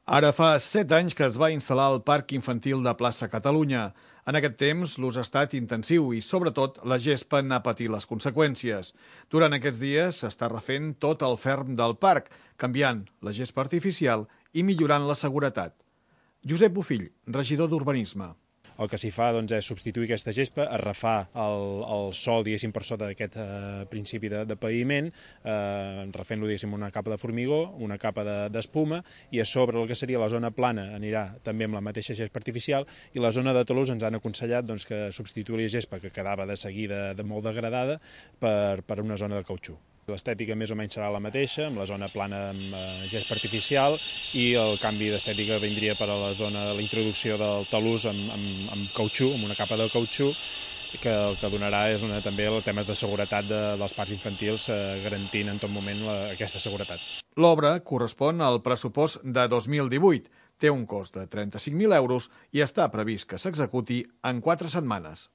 Ara fa 7 anys que es va instal·lar el Parc Infantil de Plaça Catalunya. En aquest temps, l'ús ha estat intensiu i, sobretot, la gespa n'ha patit les conseqüències. Durant aquests dies s'està refent tot el ferm del parc, canviant la gespa artificial i millorant la seguretat. Josep Bofill, regidor d'Urbanisme. El que s'hi fa és substituir aquesta gespa, arrefar el sòl, diguéssim, per sota d'aquest principi de paviment, refent-lo, diguéssim, una capa de formigó, una capa d'espuma, i a sobre el que seria la zona plana anirà també amb la mateixa gespa artificial, i la zona de talús ens han aconsellat que substituir la gespa, que quedava de seguida molt degradada, per una zona de cautxú. L'estètica més o menys serà la mateixa, amb la zona plana amb gespa artificial, i el canvi d'estètica vindria per a la zona de la introducció del talús amb cautxú, amb una capa de cautxú, que el que donarà és també els temes de seguretat dels parcs infantils, garantint en tot moment aquesta seguretat. L'obra correspon al pressupost de 2018, té un cost de 35.000 euros i està previst que s'executi en 4 setmanes.